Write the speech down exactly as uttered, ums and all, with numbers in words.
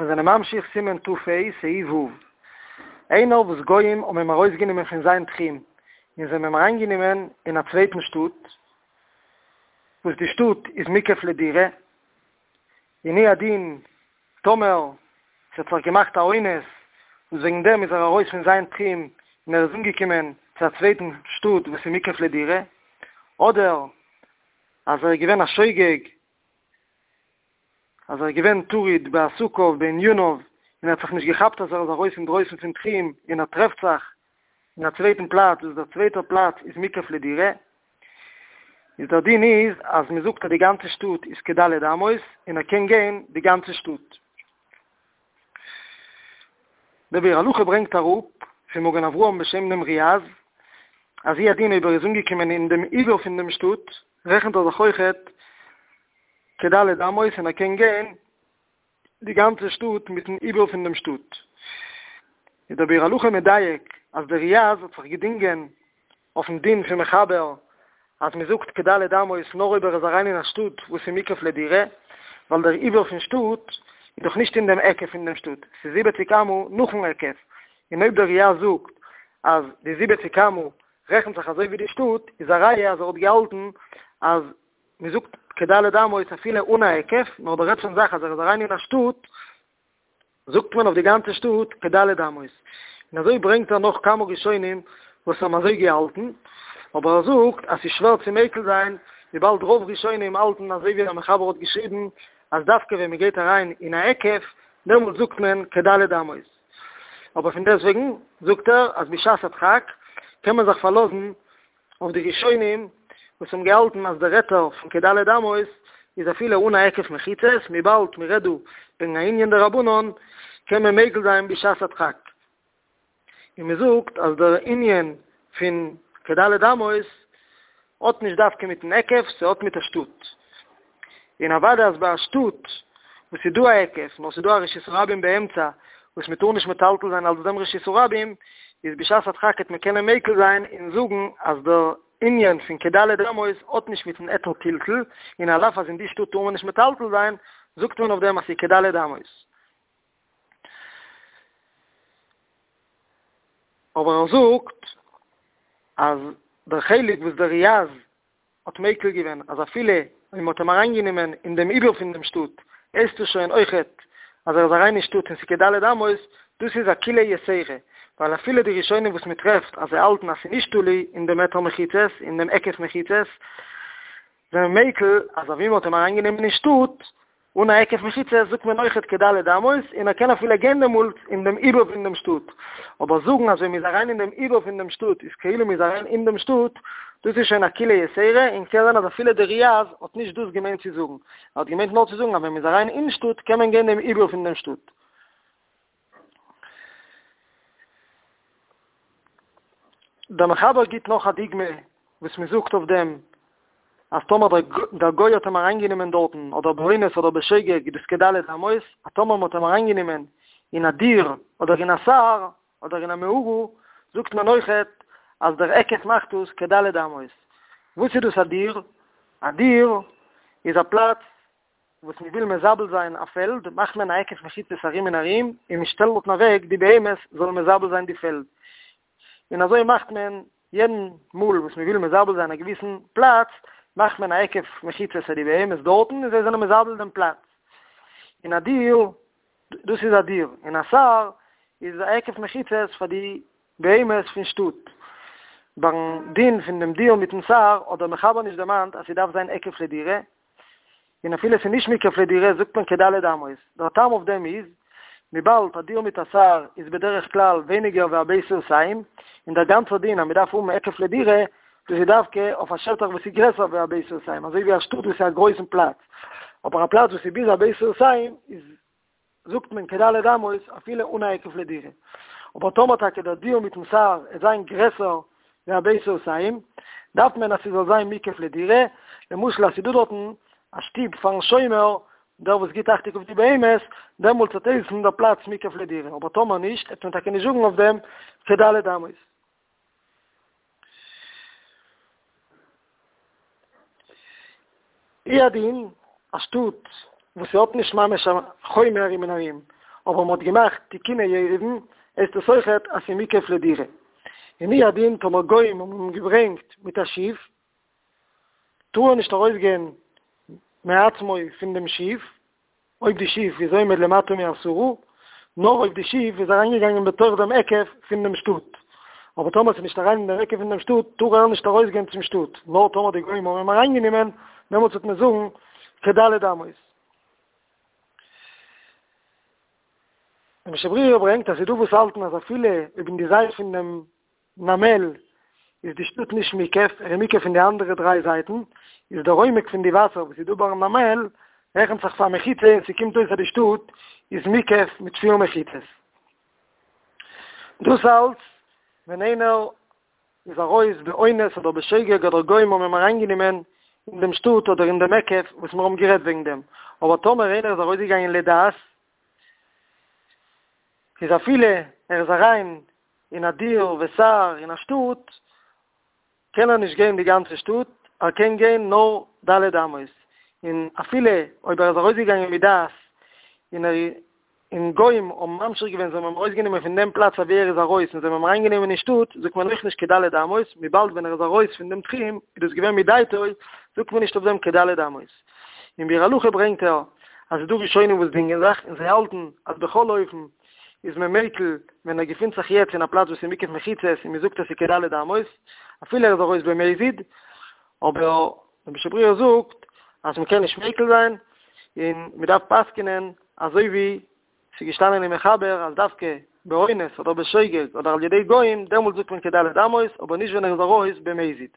מיר זענען ממשיך סימן ת"ה סעיף ו'. איינער וואס גוים האבן אים ארויסגענומען פון זיין תחום און זיי האבן אים אריינגענומען אין א צווייטן שטאט, וואס די שטאט איז מוקף לדירה, און הוא הדין טאמער ס'האט זיך געמאכט א אונס וואס וועגן דעם איז ער ארויס פון זיין תחום און ער איז אנגעקומען צו א צווייטן שטאט וואס איז מוקף לדירה, אדער אז ער איז געווען א שוגג אז ער איז געווען טרוד בעסקיו בעניניו און ער האט זיך נישט געכאפט אז ער איז ארויס אינדרויסן פון תחום און ער טרעפט זיך אין א צווייטן פלאץ וואס דער צווייטער פלאץ איז מוקף לדירה, איז דער דין איז אז מען זאגט אז די גאנצע שטאט איז כד' אמות און ער קען גיין די גאנצע שטאט. דער ביאור הלכה ברענגט אראפ פון מגן אברהם בשם דעם ריאז אז הוא הדין אויב ער איז אנגעקומען אין דעם עיבור פון דעם שטאט רעכנט ער זיך אויכעט כד' אמות און ער קען גיין די גאנצע שטאט מיטן עיבור פון דעם שטאט. איז דער ביאור הלכה מדייק אז דער ריאז האט זיך געדינגען אויפן דין פון מחבר אז מען זאגט כד' אמות נאר אויב ער איז אריין אין א שטאט וואס איז מוקף לדירה, ווייל דער עיבור פון שטאט איז דאך נישט אין דעם היקף פון דעם שטאט, ס'איז זיבעציק אמה נאכן היקף, און אויב דער ריאז זאגט אז די זיבעציק אמה רעכנט זיך אזוי ווי די שטאט, איז א ראיה אז ער האט געהאלטן אז מען זאגט כד' אמות אפילו אן א היקף, נאר דער עצם זאך אז ער איז אריין אין א שטאט, זאגט מען אויף די גאנצע שטאט כד' אמות. און אזוי ברענגט ער נאך כמה ראשונים וואס האבן אזוי געהאלטן, אבער ער זאגט אז ס'איז שווער צו מיקל זיין, וויבאלד רוב ראשונים האלטן אזוי ווי דער מחבר האט געשריבן, אז דווקא ווען מען גייט אריין אין א היקף, דעמאלט זאגט מען כד' אמות. אבער פון דעסטוועגן זאגט ער אז בשעת הדחק קען מען זיך פארלאזן אויף די ראשונים וואס האבן געהאלטן אז דער היתר פון כד' אמות איז אפילו אן א היקף מחיצות, וויבאלד מען רעדט דא וועגן א ענין דרבנן קען מען מיקל זיין בשעת הדחק, און מען זאגט אז דער ענין פון כד' אמות האט נישט דווקא מיטן היקף, ס'האט מיט א שטאט. און אוודאי אז ביי א שטאט וואס איז דא א היקף, נאר ס'איז דא א רשות הרבים באמצע וואס מ'טאר נישט מטלטל זיין אלס דעם רשות הרבים, איז בשעת הדחק העט מען קענען מיקל זיין און זאגן אז דער ענין פון כד' אמות האט נישט מיטן היתר טלטול, און על אף אז אין די שטאט טאר מען נישט מטלטל זיין, זאגט מען אויף דעם אז ס'איז כד' אמות. אבער ער זאגט אז דער חלק וואס דער ריאז האט מיקל געווען אז אפילו אויב מ'האט אים אריינגענומען אין דעם עיבור פון דעם שטאט, הייסט עס שוין אויכעט אז ער איז אריין אין שטאט און ס'איז כד' אמות, דאס איז א קולא יתירה, ווייל אפילו די ראשונים וואס מ'טרעפט אז זיי האלטן אז ס'איז נישט תלוי אין דעם היתר מחיצות, אין דעם היקף מחיצות, זענען מיקל אז אבי מ'האט אים אריינגענומען אין שטאט, אן א היקף מחיצות זאגט מען אויכעט כד' אמות, און ער קען אפילו גיין דעמאלטס אין דעם עיבור פון דעם שטאט. אבער זאגן אז ווען מ'איז אריין אין דעם עיבור פון דעם שטאט איז כאילו מ'איז אריין אין דעם שטאט, דאס איז שוין א קולא יתירה, און קען זיין אז אפילו דער ריאז האט נישט דאס געמיינט צו זאגן. ער האט געמיינט נאר צו זאגן אז ווען מ'איז אריין אין שטאט קען מען גיין דעם עיבור פון דעם שטאט. דער מחבר גיט נאך א דוגמא וואס מען זאגט אויף דעם אז טאמער דער גוי האט אים אריינגענומען דארטן אדער באונס אדער בשוגג איז דאס כד' אמות, אז טאמער מען האט אים אריינגענומען אין א דיר אדער אין א סהר אדער אין א מערה זאגט מען אויכעט אז דער היקף מאכט דאס כד' אמות. וואס איז דאס א דיר? א דיר איז א פלאץ וואס מען וויל מזבל זיין א פעלד, מאכט מען א היקף מחיצות ארום און ארום, און מען שטעלט דארטן אוועק די בהמות זאלן מזבל זיין די פעלד. און אזוי מאכט מען יעדן מאל וואס מען וויל מזבל זיין א געוויסן פלאץ, מאכט מען א היקף מחיצות פאר די בהמות דארטן, און זיי זענען מזבל דעם פלאץ. און א דיר, דאס איז א דיר, און א סהר איז א היקף מחיצות פאר די בהמות פון שטאט. ביים דין פון דעם דיר מיטן סהר האט דער מחבר נישט דערמאנט אז ס'דארף זיין היקף לדירה, און אפילו ס'איז נישט מוקף לדירה זאגט מען כד' אמות, דער טעם אויף דעם איז, וויבאלד א דיר מיט א סהר איז בדרך כלל ווייניגער ווי א בית סאתים, און דער גאנצער דין אז מ'דארף האבן היקף לדירה, דאס איז דווקא אויף א שטח וואס איז גרעסער ווי א בית סאתים, אזוי ווי א שטאט וואס איז א גרויסן פלאץ, אבער א פלאץ וואס איז ביז א בית סאתים איז זאגט מען כד' אמות אפילו אן א היקף לדירה. אבער טאמער טאקע דער דיר מיטן סהר עט זיין גרעסער ווי א בית סאתים, דארף מען אז ס'זאל זיין מוקף לדירה, למשל אז ס'דא דארטן א שטוב פארן שומר, דער וואס גיט אכטונג אויף די בהמות, דעמאלטס וועט הייסן דער פלאץ מוקף לדירה, אבער טאמער נישט, וועט מען טאקע נישט זאגן אויף דעם כד' אמות. הוא הדין, א שטאט וואס ס'האט נישט ממש א חומה ארום און ארום, אבער מ'האט געמאכט תיקוני עירובין, הייסט עס אויכעט אז ס'איז מוקף לדירה. און הוא הדין טאמער גוים האבן אים געברענגט מיט א שיף, טאר ער נישט ארויסגיין מעצמו פון דעם שיף, אויב די שיף איז עומד למטה מעשרה, נאר אויב די שיף איז אריינגעגאנגען בתוך דעם היקף פון דעם שטאט. אבער טאמער ס'איז נישט אריין אין דעם היקף פון דעם שטאט, טאר ער נישט ארויסגיין צום שטאט, נאר טאמער די גוים האבן אים אריינגענומען, דעמאלטס וועט מען זאגן כד' אמות. דער משנה ברורה ברענגט אז ס'איז דא וואס האלטן אז אפילו אויב אין די זייט פון דעם נמל איז די שטאט נישט מוקף, ער איז מוקף פון די אנדערע דריי זייטן, איז דער עומק פון די וואסער וואס איז דא ביים נמל רעכנט זיך פאר מחיצה און ס'קומט אויס אז די שטאט איז מוקף מיט פיר מחיצות. דאס אלץ ווען איינער איז ארויס באונס אדער בשוגג אדער גוים האבן אים אריינגענומען אין דעם שטאט אדער אין דעם היקף וואס מיר האבן גערעדט וועגן דעם, אבער טאמער איינער איז ארויסגעגאנגען לדעת איז אפילו ער איז אריין אין א דיר וסהר אין א שטאט, קען ער נישט גיין די גאנצע שטאט, ער קען גיין נאר ד' אמות, און אפילו אויב ער איז ארויסגעגאנגען מדעת און ער און גוים האבן ממשיך געווען זיי האבן אים ארויסגענומען פון דעם פלאץ אוואו ער איז ארויס און זיי האבן אים אריינגענומען אין שטאט, זאגט מען אויך נישט כד' אמות, וויבאלד ווען ער איז ארויס פון דעם תחום איז דאס געווען מדעתו, זאגט מען נישט אויף דעם כד' אמות. אין ביאור הלכה ברענגט ער אז ס'איז דא ראשונים וואס דינגען זיך און זיי האלטן אז בכל אופן איז מען מיקל ווען ער געפינט זיך יעצט אין א פלאץ וואס איז מוקף מחיצות און מען זאגט אז ס'איז כד' אמות אפילו ער איז ארויס במזיד, אבער דער משנה ברורה זאגט אז מען קען נישט מיקל זיין און מען דארף פסק'נען אזוי ווי ס'איז געשטאנען אין מחבר אז דווקא באונס אדער בשוגג אדער על ידי גוים דעמאלט זאגט מען כד' אמות אבער נישט ווען ער איז ארויס במזיד.